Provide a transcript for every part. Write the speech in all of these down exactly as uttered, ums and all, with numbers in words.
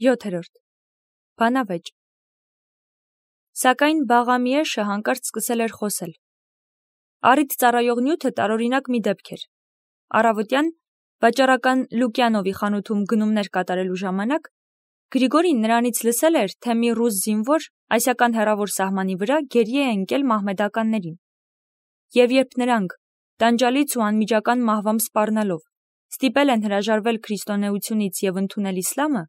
յոթերորդ. Բանավեճ. Սակայն Բաղամիեշը հանկարծ սկսել էր խոսել. Առիթ ծառայող նյութը տարօրինակ մի դեպք էր. Առավոտյան վաճառական Լուկյանովի խանութում գնումներ կատարելու ժամանակ Գրիգորին նրանից լսել էր, թե մի ռուս զինվոր ասիական հեռավոր սահմանի վրա գերի է ընկել մահմեդականներին. և երբ նրանք, տանջալից ու անմիջական մահվամբ սպառնալով, ստիպել են հրաժարվել քրիստոնեությունից և ընդունել իսլամը,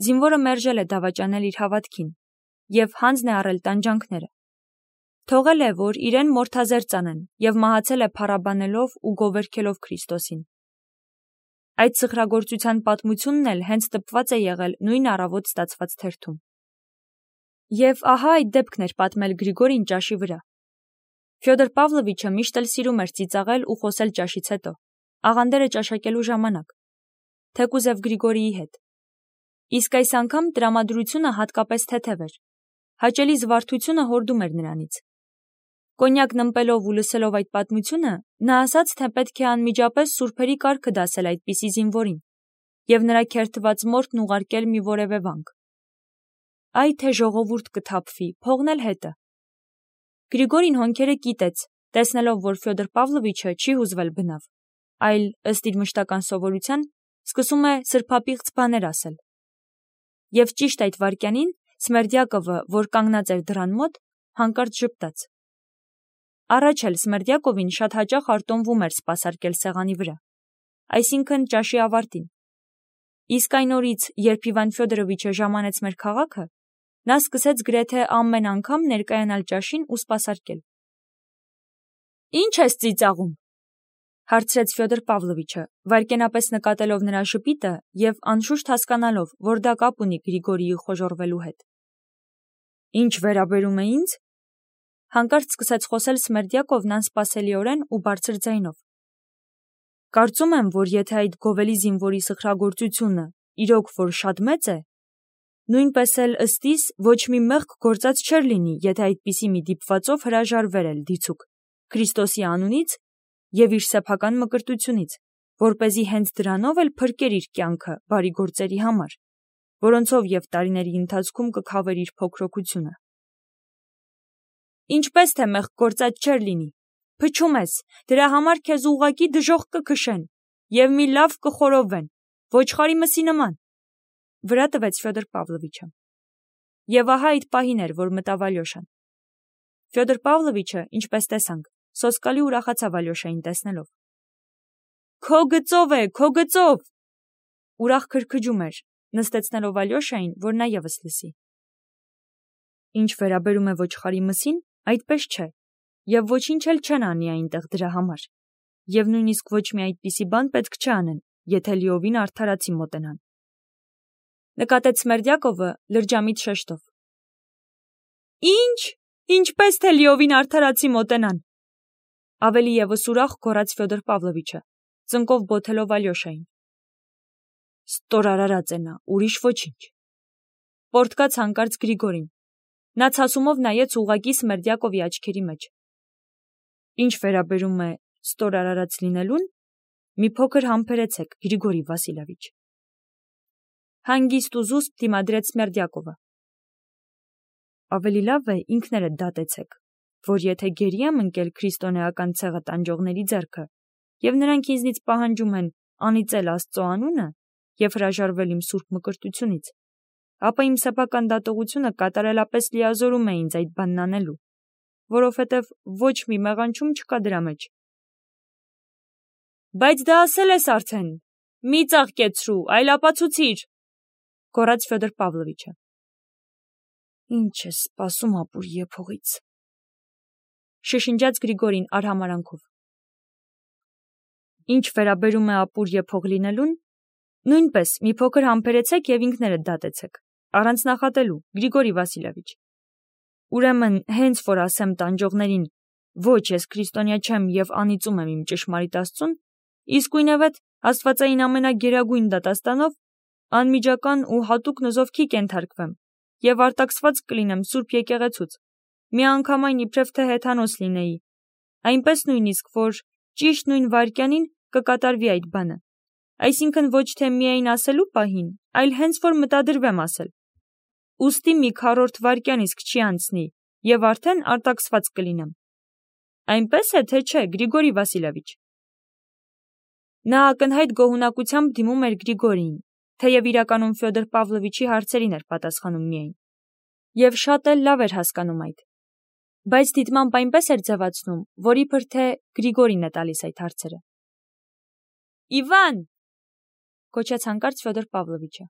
զինվորը մերժել է դավաճանել իր հավատքին և հանձն է առել տանջանքները. թողել է, որ իրեն մորթազերծ անեն և մահացել է փառաբանելով ու գովերգելով Քրիստոսին. Այդ սխրագործության պատմությունն էլ հենց տպված է եղել նույն առավոտ ստացված թերթում. Եվ ահա այդ դեպքն էր պատմել Գրիգորին ճաշի վրա. Ֆյոդոր Պավլովիչը միշտ էլ սիրում էր ծիծաղել ու խոսել ճաշից հետո, աղանդերը ճաշակելու ժամանակ, թեկուզև Գրիգորիի հետ. իսկ այս անգամ տրամադրությունը հատկապես թեթև էր, հաճելի զվարթությունը հորդում էր նրանից. Կոնյակն ըմպելով ու լսելով այդ պատմությունը, նա ասաց, թե պետք է անմիջապես սուրբերի կարգը դասել այդպիսի զինվորին և նրա քերթված մորթն ուղարկել մի որևէ վանք. Այ թե ժողովուրդ կթափվի, փողն էլ հետը. Գրիգորին հոնքերը կիտեց, տեսնելով, որ Ֆյոդոր Պավլովիչը չի հուզվել բնավ, այլ, ըստ իր մշտական սովորության, սկսում է սրբապիղծ բաներ ասել. Եվ ճիշտ այդ վայրկյանին Սմերդյակովը, որ կանգնած էր դռան մոտ, հանկարծ ժպտաց. Առաջ էլ Սմերդյակովին շատ հաճախ արտոնվում էր սպասարկել սեղանի վրա, այսինքն ճաշի ավարտին. իսկ այն օրից, երբ Իվան Ֆյոդորովիչը ժամանեց մեր քաղաքը, նա սկսեց գրեթե ամեն անգամ ներկայանալ ճաշին ու սպասարկել. Ի՞նչ ես ծիծաղում, հարցրեց Ֆյոդոր Պավլովիչը, վայրկենապես նկատելով նրա ժպիտը և անշուշտ հասկանալով, որ դա կապ ունի Գրիգորիի խոժոռվելու հետ. Ինչ վերաբերում է ինձ, հանկարծ սկսեց խոսել Սմերդյակովն անսպասելիորեն ու բարձր ձայնով. Կարծում եմ, որ եթե այդ գովելի զինվորի սխրագործությունը իրոք որ շատ մեծ է, նույնպես էլ ըստ իս ոչ մի մեղք գործած չէր լինի, եթե այդպիսի մի դիպվածով հրաժարվեր էլ դիցուք Քրիստոսի անունից և իր սեփական մկրտությունից, որպեսզի հենց դրանով էլ փրկեր իր կյանքը բարի գործերի համար, որոնցով և տարիների ընթացքում կքավեր իր փոքրոքությունը. Ինչպես թե մեղք գործած չէր լինի, փչում ես, դրա համար քեզ ուղղակի դժոխք կքշեն և մի լավ կխորովվեն, ոչխարի մսի նման, վրա տվեց Ֆյոդոր Պավլովիչը. Եվ ահա այդ պահին էր, որ մտավ Ալյոշան. Ֆյոդոր Պավլովիչը, ինչպես տեսանք, սոսկալի ուրախացավ Ալյոշային տեսնելով. Քո գծով է, քո գծով, ուրախ քրքջում էր, նստեցնելով Ալյոշային, որ նա ևս լսի. Ինչ վերաբերում է ոչխարի մսին, այդպես չէ, և ոչինչ էլ չեն անի այնտեղ դրա համար, և նույնիսկ ոչ մի այդպիսի բան պետք չանեն, եթե լիովին արդարացի մոտենան. Նկատեց Սմերդյակովը լրջամիտ շեշտով. Ինչ, ինչպես թե լիովին արդարացի մոտենան, ավելի ևս ուրախ գոռաց Ֆյոդոր Պավլովիչը, ծնկով բոթելով Ալյոշային. Ստորարարած է նա, ուրիշ ոչինչ, պոռթկաց հանկարծ Գրիգորին, նա ցասումով նայեց ուղղակի Սմերդյակովի աչքերի մեջ. Ինչ վերաբերում է ստորարարած լինելուն, մի փոքր համբերեցեք, Գրիգորի Վասիլևիչ, հանգիստ ու զուսպ դիմադրեց Սմերդյակովը. Ավելի լավ է ինքներդ դատեցեք, որ եթե գերի եմ ընկել քրիստոնեական ցեղը տանջողների ձեռքը, և նրանք ինձնից պահանջում են անիծել Աստծո անունը և հրաժարվել իմ սուրբ մկրտությունից, ապա իմ սեփական դատողությունը կատարելապես լիազորում է ինձ այդ բանն անելու, որովհետև ոչ մի մեղանչում չկա դրա մեջ. Բայց դա ասել ես արդեն, մի ծաղկեցրու, այլ ապացուցիր, գոռաց Ֆյոդոր Պավլովիչը. Ինչ ես սպասում ապուր եփողից, շշնջաց Գրիգորին արհամարանքով. Ինչ վերաբերում է ապուր եփող լինելուն, նույնպես մի փոքր համբերեցեք և ինքներդ դատեցեք, առանց նախատելու, Գրիգորի Վասիլևիչ. Ուրեմն, հենց որ ասեմ տանջողներին, ոչ, ես քրիստոնյա չեմ և անիծում եմ իմ ճշմարիտ Աստծուն, իսկույնևեթ աստվածային ամենագերագույն դատաստանով անմիջական ու հատուկ նզովքի կենթարկվեմ և արտաքսված կլինեմ Սուրբ եկեղեցուց, միանգամայն իբրև թե հեթանոս լինեի, այնպես նույնիսկ, որ ճիշտ նույն վայրկյանին կկատարվի այդ բանը, Այսինքն ոչ թե միայն ասելու պահին, այլ հենց որ մտադրվեմ ասել։ Ուստի մի քառորդ վայրկյան իսկ չի անցնի, եւ արդեն արտաքսված կլինեմ։ Այնպես է, թե չէ, Գրիգորի Վասիլևիչ։ Նա ակնհայտ գոհունակությամբ դիմում էր Գրիգորիին, թեև իրականում Ֆյոդոր Պավլովիչի հարցերին էր պատասխանում միայն։ Եվ շատ էլ լավ էր հասկանում այդ։ Բայց դիտմամբ այնպես էր ձևացնում, որ իբր թե Գրիգորին է տալիս այդ հարցերը։ Իվան, կոչեց հանկարծ Ֆյոդոր Պավլովիչը։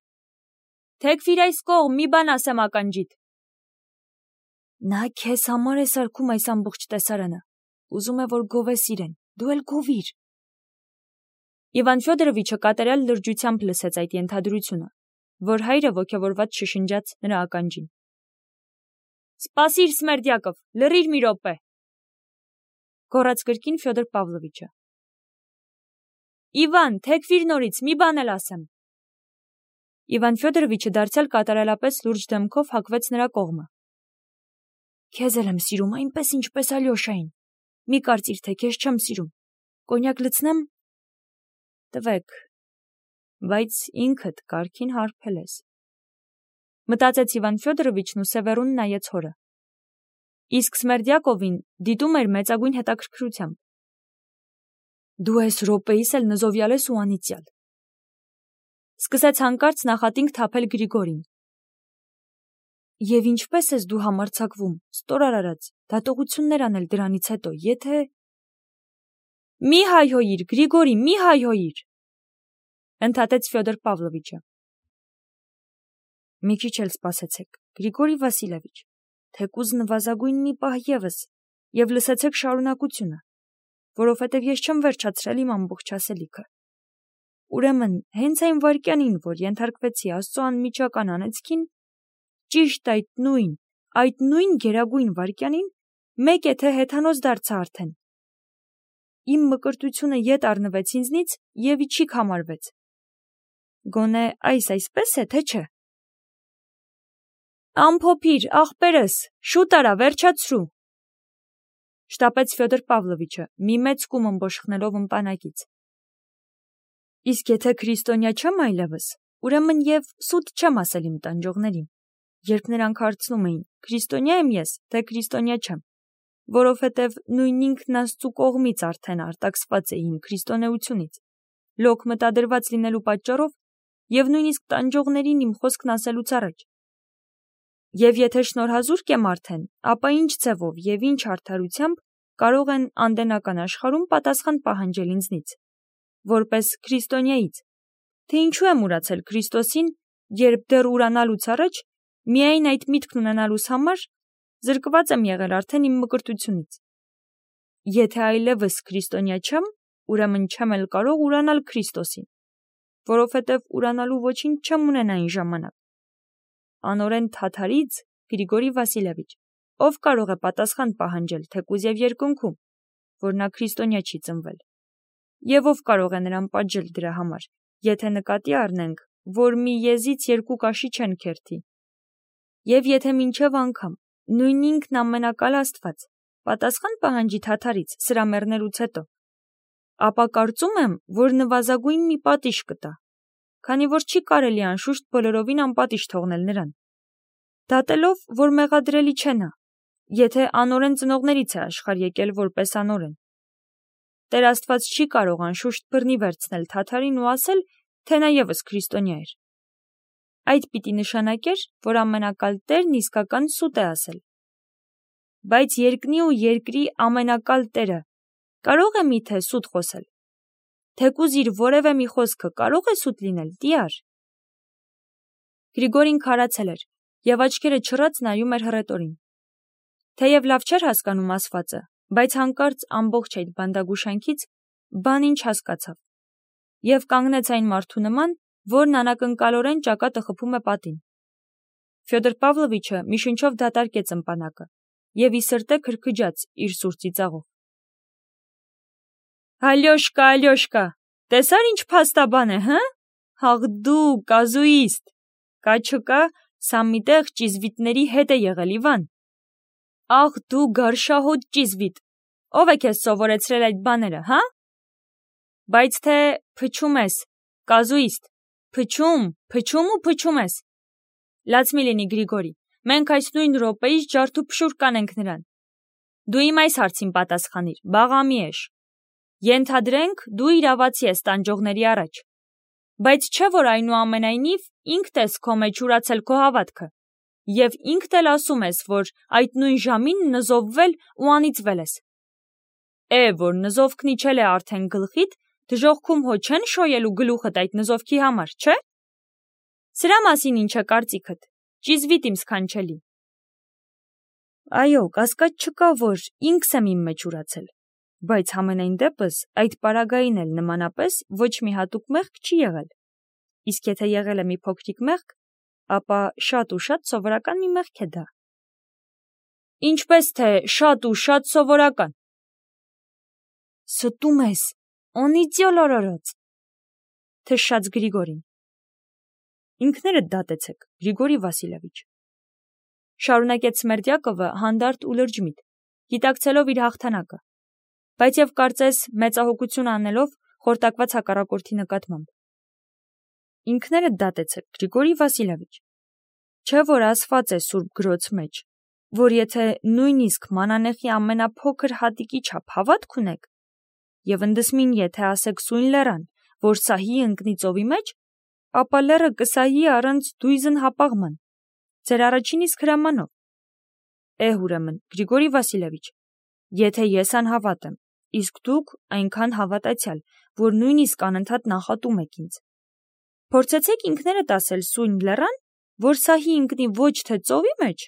Թեքվիր այս կողմ, մի բան ասեմ ականջիդ։ Նա քեզ համար է սարքում այս ամբողջ տեսարանը։ Ուզում է, որ գովես իրեն, դու էլ գովիր։ Իվան Ֆյոդորովիչը կատարյալ լրջությամբ լսեց այդ ենթադրությունը, որ հայրը ոգևորված շշնջաց նրա ականջին։ Սպասիր, Սմերդյակով, լռիր մի րոպե, գոռաց կրկին Ֆյոդոր Պավլովիչը։ Իվան, թեքվիր նորից, մի բան էլ ասեմ։ Իվան Ֆյոդորովիչը դարձյալ կատարելապես լուրջ դեմքով հակվեց նրա կողմը։ Քեզ էլ եմ սիրում այնպես, ինչպես Ալյոշային։ Մի կարծիր, թե քեզ չեմ սիրում։ Կոնյակ լցնեմ։ Տվեք, բայց ինքդ կարքին հարբել ես։ Մտածեց Իվան Ֆյոդորովիչն ու սևեռուն նայեց հորը։ Իսկ Սմերդյակովին դիտում էր մեծագույն հետաքրքրությամբ։ Դու այս րոպեիս էլ նզովյալ ես ու անիծյալ։ Սկսեց հանկարծ նախատինք թափել Գրիգորին։ Եվ ինչպես ես դու համարձակվում, ստոր արարած, դատողություններ անել դրանից հետո, եթե… Մի հայհոյիր, Գրիգորի, մի հայհոյիր, ընդհատեց Ֆյոդոր Պավլովիչը։ Մի քիչ էլ սպասեցեք, Գրիգորի Վասիլևիչ, թեկուզ նվազագույն մի պահ ևս, եւ լսեցեք շարունակությունը, որովհետեւ ես չեմ վերջացրել իմ ամբողջ ասելիքը։ Ուրեմն, հենց այն վայրկյանին, որ ենթարկվեցի Աստծո անմիջական անեծքին, ճիշտ այդ նույն, այդ նույն գերագույն վայրկյանին, մեկ է թե հեթանոց դարձա արդեն։ Իմ մկրտությունը ետ առնվեց ինձնից եւ իջիկ համարվեց։ Գոնե այս այսպես է, թե չէ։ Ամփոփիր, ախպերս, շուտ արա, վերջացրու։ Շտապեց Ֆյոդոր Պավլովիչը, մի մեծ կում ըմբոշխնելով ըմպանակից։ Իսկ եթե քրիստոնյա չեմ այլևս, ուրեմն եւ սուտ չեմ ասել իմ տանջողներին, երբ նրանք հարցնում էին, քրիստոնյա եմ ես, թե քրիստոնյա չեմ, որովհետեւ նույն ինքն Աստծու կողմից արդեն արտաքսված է իմ քրիստոնեությունից, լոկ մտադրված լինելու պատճառով եւ նույնիսկ տանջողներին իմ խոսքն ասելուց առաջ։ Եվ եթե շնորհազուրկ եմ արդեն, ապա ինչ ձևով եւ ինչ արդարությամբ կարող են անդենական աշխարհում պատասխան պահանջել ինձնից, որպես քրիստոնյայից, թե ինչու եմ ուրացել Քրիստոսին, երբ դեռ ուրանալուց առաջ միայն այդ միտքն ունենալուց համար զրկված եմ եղել արդեն իմ մկրտությունից։ Եթե այլևս քրիստոնյա չեմ, ուրեմն չեմ էլ կարող ուրանալ Քրիստոսին, որովհետև ուրանալու ոչինչ չեմ ունենա այն ժամանակ։ Անորեն թաթարից Գրիգորի Վասիլևիչ, ով կարող է պատասխան պահանջել թեկուզ եւ երկնքում, որ նա քրիստոնյա չի ծնվել, եւ ով կարող է նրան պատժել դրա համար, եթե նկատի առնենք, որ մի եզից երկու կաշի չեն քերթի, եւ եթե մինչեւ անգամ նույն ինքն ամենակալ Աստված պատասխան պահանջի թաթարից սրա մեռնելուց հետո, ապա կարծում եմ, որ նվազագույն մի պատիժ կտա, քանի որ չի կարելի անշուշտ բոլորովին անպատիժ թողնել նրան, դատելով, որ մեղադրելի չէ նա, եթե անօրեն ծնողներից է աշխարհ եկել որպես անօրեն։ Տեր Աստված չի կարող անշուշտ բռնի վերցնել թաթարին ու ասել, թե նա ևս քրիստոնյա էր։ Այդ պիտի նշանակեր, որ ամենակալ Տերն իսկական սուտ է ասել։ Բայց երկնի ու երկրի ամենակալ Տերը կարող է միթե սուտ խոսել։ Թեկուզ իր որևէ մի խոսքը կարող է սուտ լինել, տիար։ Գրիգորին քարացել էր եւ աչքերը չռած նայում էր հռետորին։ Թեև լավ չէր հասկանում ասվածը, բայց հանկարծ ամբողջ այդ բանդագուշանքից բան ինչ հասկացավ եւ կանգնեց այն մարդու նման, որն անակնկալորեն ճակատը խփում է պատին։ Ֆյոդոր Պավլովիչը մի շնչով դատարկեց ըմպանակը եւ ի սրտե քրքջաց իր սուր ծիծաղով։ Ալյոշկա, Ալյոշկա, տեսար ինչ փաստաբան է, հը՞։ Հաղ դու կազուիստ, կա չկա, սա միտեղ ճիզվիտների հետ է եղել Իվան։ Աղ դու գարշահոտ ճիզվիտ, ով է քեզ սովորեցրել այդ բաները, հա։ Բայց թե փչում ես, Կազուիստ, փչում, փչում ու փչում ես։ Լաց մի լինի Գրիգորի, մենք այս նույն րոպեից ջարդուփշուր կանենք նրան։ Դու իմ այս հարցին պատասխանիր, բաղամի ես։ Ենթադրենք, դու իրավացի ես տանջողների առաջ։ Բայց չէ՞ որ այնուամենայնիվ ինքդ ես քո մեջ ուրացել քո հավատքը, և ինքդ էլ ասում ես, որ այդ նույն ժամին նզովվել ու անիծվել ես։ Է, որ նզովքն իջել է արդեն գլխիդ, դժոխքում հո չեն շոյելու գլուխդ այդ նզովքի համար, չէ՞։ Սրա մասին ինչ է կարծիքդ, ճիզվիտ իմ սքանչելի։ Այո, կասկած չկա, որ ինքս եմ իմ մեջ ուրացել, բայց համենայն դեպս այդ պարագային էլ նմանապես ոչ մի հատուկ մեղք չի եղել, իսկ եթե եղել է մի փոքրիկ մեղք, ապա շատ ու շատ սովորական մի մեղք է դա։ Ինչպես թե շատ ու շատ սովորական։ Ստում ես, օնիծյոլ օրորոց, թշաց Գրիգորին։ Ինքներդ դատեցեք, Գրիգորի Վասիլևիչ, շարունակեց Սմերդյակովը հանդարտ ու լրջմիտ, գիտակցելով իր հաղթանակը, բայց եւ կարծես մեծահոգություն անելով խորտակված հակառակորդի նկատմամբ։ Ինքներդ դատեցեք, Գրիգորի Վասիլևիչ, չէ՞ որ ասված է Սուրբ գրոց մեջ, որ եթե նույնիսկ մանանեխի ամենափոքր հատիկի չափ հավատք ունեք, եւ ընդդսմին եթե ասեք սույն լեռան, որ սահի ընկնի ծովի մեջ, ապա լեռը կսահի առանց դույզն հապաղման, ձեր առաջին իսկ հրամանով։ Է, ուրեմն, Գրիգորի Վասիլևիչ, եթե ես անհավատ եմ, իսկ դուք այնքան հավատացյալ, որ նույնիսկ անընդհատ նախատում եք ինձ, փորձեցեք ինքներդ ասել սույն լեռան, որ սահի ընկնի ոչ թե ծովի մեջ,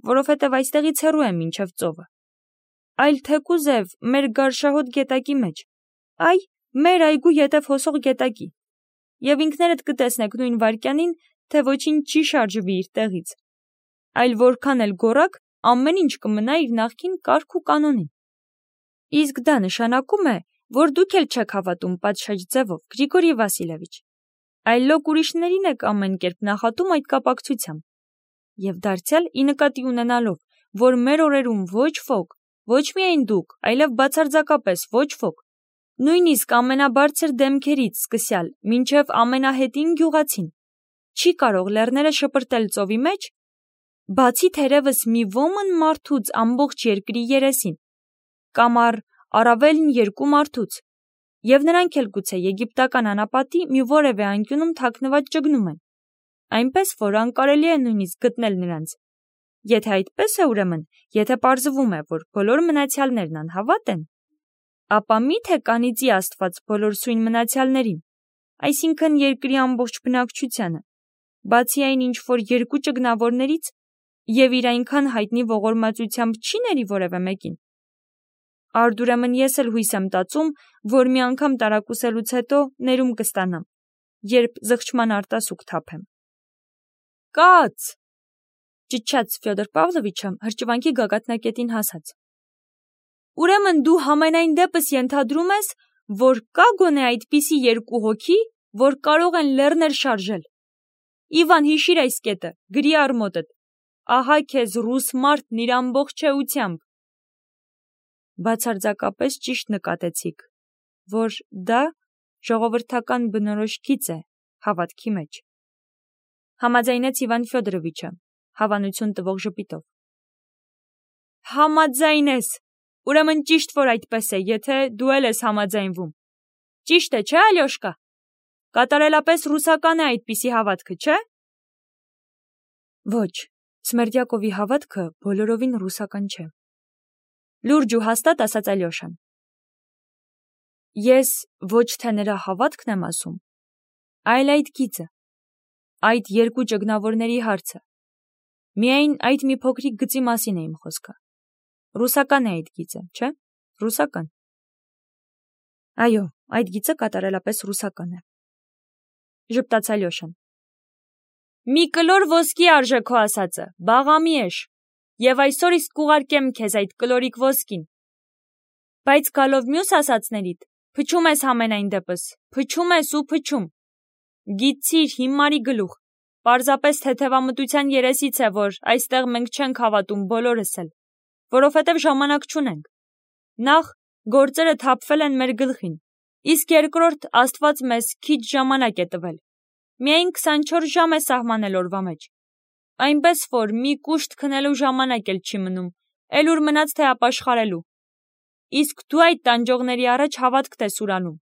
որովհետև այստեղից հեռու է մինչև ծովը, այլ թեկուզև մեր գարշահոտ գետակի մեջ, այ, մեր այգու ետև հոսող գետակի, և ինքներդ կտեսնեք նույն վայրկյանին, թե ոչինչ չի շարժվի իր տեղից, այլ որքան էլ գոռաք, ամեն ինչ կմնա իր նախկին կարգ ու կանոնին։ Իսկ դա նշանակում է, որ դուք էլ չեք հավատում պատշաճ ձևով, Գրիգորի Վասիլևիչ, այլ լոկ ուրիշներին եք ամեն կերպ նախատում այդ կապակցությամբ, և դարձյալ ի նկատի ունենալով, որ մեր օրերում ոչ ոք, ոչ միայն դուք, այլև բացարձակապես ոչ ոք, նույնիսկ ամենաբարձր դեմքերից սկսյալ մինչև ամենահետին գյուղացին, չի կարող լեռները շպրտել ծովի մեջ, բացի թերևս մի ոմն մարդուց ամբողջ երկրի երեսին, կամ առ առավելն երկու մարդուց, և նրանք էլ գուցե եգիպտական անապատի մի որևէ անկյունում թաքնված ճգնում են, այնպես որ անկարելի է նույնիսկ գտնել նրանց։ Եթե այդպես է, ուրեմն, եթե պարզվում է, որ բոլոր մնացյալներն անհավատ են, ապա մի՞թե կանիծի Աստված բոլոր սույն մնացյալներին, այսինքն երկրի ամբողջ բնակչությանը, բացի այն ինչ որ երկու ճգնավորներից, և իր այնքան հայտնի ողորմածությամբ չի ների որևէ մեկին։ Արդ ուրեմն ես էլ հույս եմ տածում, որ մի անգամ տարակուսելուց հետո ներում կստանամ, երբ զղջման արտասուք թափեմ։ Կաց, ճչաց Ֆյոդոր Պավլովիչը հրճվանքի գագաթնակետին հասած։ Ուրեմն դու համենայն դեպս ենթադրում ես, որ կա գոնե այդպիսի երկու հոգի, որ կարող են լեռներ շարժել։ Իվան, հիշիր այս կետը, գրի արմոտդ, ահա քեզ ռուս մարդն իր ամբողջությամբ։ Բացարձակապես ճիշտ նկատեցիք, որ դա ժողովրդական բնորոշքից է հավատքի մեջ։ Համաձայնեց Իվան Ֆյոդորովիչը, հավանություն տվող ժպիտով։ Համաձայն ես, ուրեմն ճիշտ որ այդպես է, եթե դու էլ ես համաձայնվում։ Ճիշտ է, չէ, Ալյոշկա։ Կատարելապես ռուսական է այդպիսի հավատքը, չէ։ Ոչ, Սմերդյակովի հավատքը բոլորովին ռուսական չէ։ Լուրջ ու հաստատ ասաց Ալյոշան։ Ես ոչ թե նրա հավատքն եմ ասում, այլ այդ գիծը, այդ երկու ճգնավորների հարցը։ Միայն այդ մի փոքրիկ գծի մասին է իմ խոսքը։ Ռուսական է այդ գիծը, չէ՞։ Ռուսական։ Այո, այդ գիծը կատարելապես ռուսական է։ Ժպտաց Ալյոշան։ Մի կլոր ոսկի արժե քո ասածը, բաղամի ես, և այսօր իսկ կուղարկեմ քեզ այդ կլորիկ ոսկին։ Բայց գալով մյուս ասածներիդ, փչում ես համենայն դեպս, փչում ես ու փչում։ Գիտցիր, հիմարի գլուխ, պարզապես թեթևամտության երեսից է, որ այստեղ մենք չենք հավատում բոլորս էլ, որովհետև ժամանակ չունենք։ Նախ, գործերը թափվել են մեր գլխին, Իսկ երկրորդ Աստված մեզ քիչ ժամանակ է տվել։ Միայն քսանչորս ժամ է սահմանել օրվա մեջ։ Այնպես որ մի կուշտ քնելու ժամանակ էլ չի մնում, էլ ուր մնաց թե ապաշխարելու։ Իսկ դու այդ տանջողների առաջ հավատք ես ուրանում։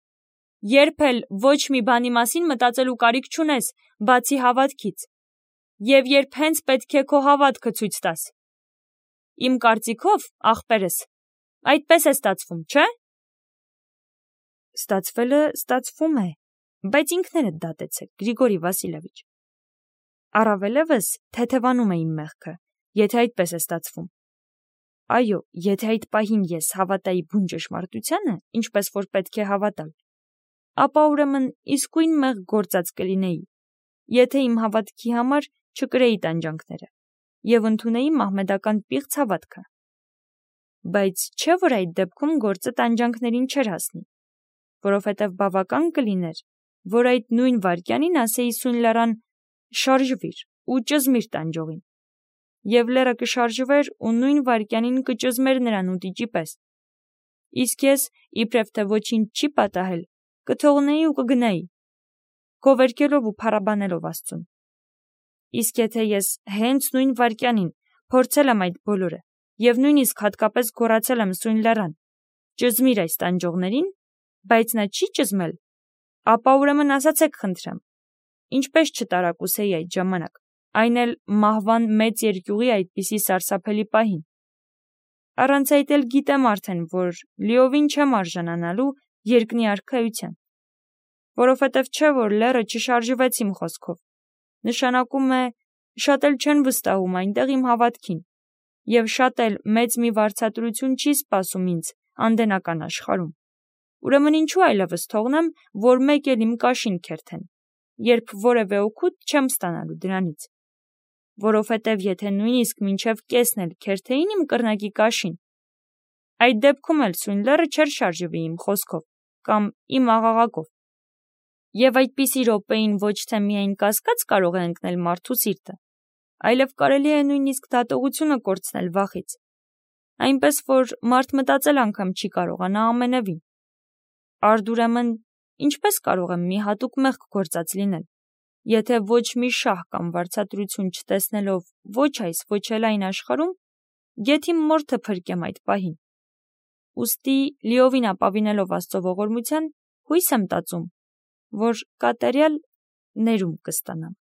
Երբ էլ ոչ մի բանի մասին մտածելու կարիք չունես, բացի հավատքից։ Եվ երբ հենց պետք է քո հավատքը ցույց տաս։ Իմ կարծիքով, ախպերս, այդպես է ստացվում, չէ՞։ Ստացվելը ստացվում է, բայց ինքներդ դատեցեք, Գրիգորի Վասիլևիչ։ Առավելևս թեթևանում է իմ մեղքը, եթե այդպես է ստացվում։ Այո, եթե այդ պահին ես հավատայի բուն ճշմարտությանը, ինչպես որ պետք է հավատալ, ապա ուրեմն իսկույն մեղք գործած կլինեի, եթե իմ հավատքի համար չկրեի տանջանքները եւ ընդունեի մահմեդական պիղծ հավատքը։ Բայց չէ՞ որ այդ դեպքում գործը տանջանքներին չէր հասնի, որովհետև բավական կլիներ, որ այդ նույն վայրկյանին ասեի սույն լեռան շարժվիր ու ճզմիր տանջողին, եւ լեռը կշարժվեր ու նույն վայրկյանին կճզմեր նրան ուտիճի պես։ Իսկ ես, իբրև թե ոչինչ չի պատահել, կթողնեի ու կգնայի, գովերգելով ու փառաբանելով Աստծուն։ Իսկ եթե ես հենց նույն վայրկյանին փորձել եմ այդ բոլորը եւ նույնիսկ հատկապես գոռացել եմ սույն լեռան, ճզմիր այս տանջողներին, բայց նա չի ճզմել, ապա ուրեմն ասացեք խնդրեմ, ինչպես չտարակուսեի այդ ժամանակ, այն էլ մահվան մեծ երկյուղի այդպիսի սարսափելի պահին։ Առանց այդ էլ գիտեմ արդեն, որ լիովին չեմ արժանանալու երկնի արքայության, որովհետև չէ որ լեռը չշարժվեց իմ խոսքով, նշանակում է շատ էլ չեն վստահում այնտեղ իմ հավատքին, եւ շատ էլ մեծ մի վարձատրություն չի սպասում ինձ անդենական աշխարհում։ Ուրեմն ինչու այլևս թողնեմ, որ մեկ էլ իմ կաշին քերթեն, երբ որևէ օգուտ չեմ ստանալու դրանից, որովհետև եթե նույնիսկ մինչև կեսն էլ քերթեին իմ կռնակի կաշին, այդ դեպքում էլ սույն լեռը չէր շարժվի իմ խոսքով կամ իմ աղաղակով։ Եվ այդպիսի րոպեին ոչ թե միայն կասկած կարող է ընկնել մարդու սիրտը, այլև կարելի է նույնիսկ դատողությունը կորցնել վախից, այնպես որ մարդ մտածել անգամ չի կարողանա ամենևին։ Արդ ուրեմն ինչպես կարող եմ մի հատուկ մեղք գործած լինել, եթե ոչ մի շահ կամ վարձատրություն չտեսնելով ոչ այս, ոչ էլ այն աշխարհում, գեթ իմ մորթը փրկեմ այդ պահին։ Ուստի լիովին ապավինելով Աստծո ողորմության, հույս եմ տածում, որ կատարյալ ներում կստանամ։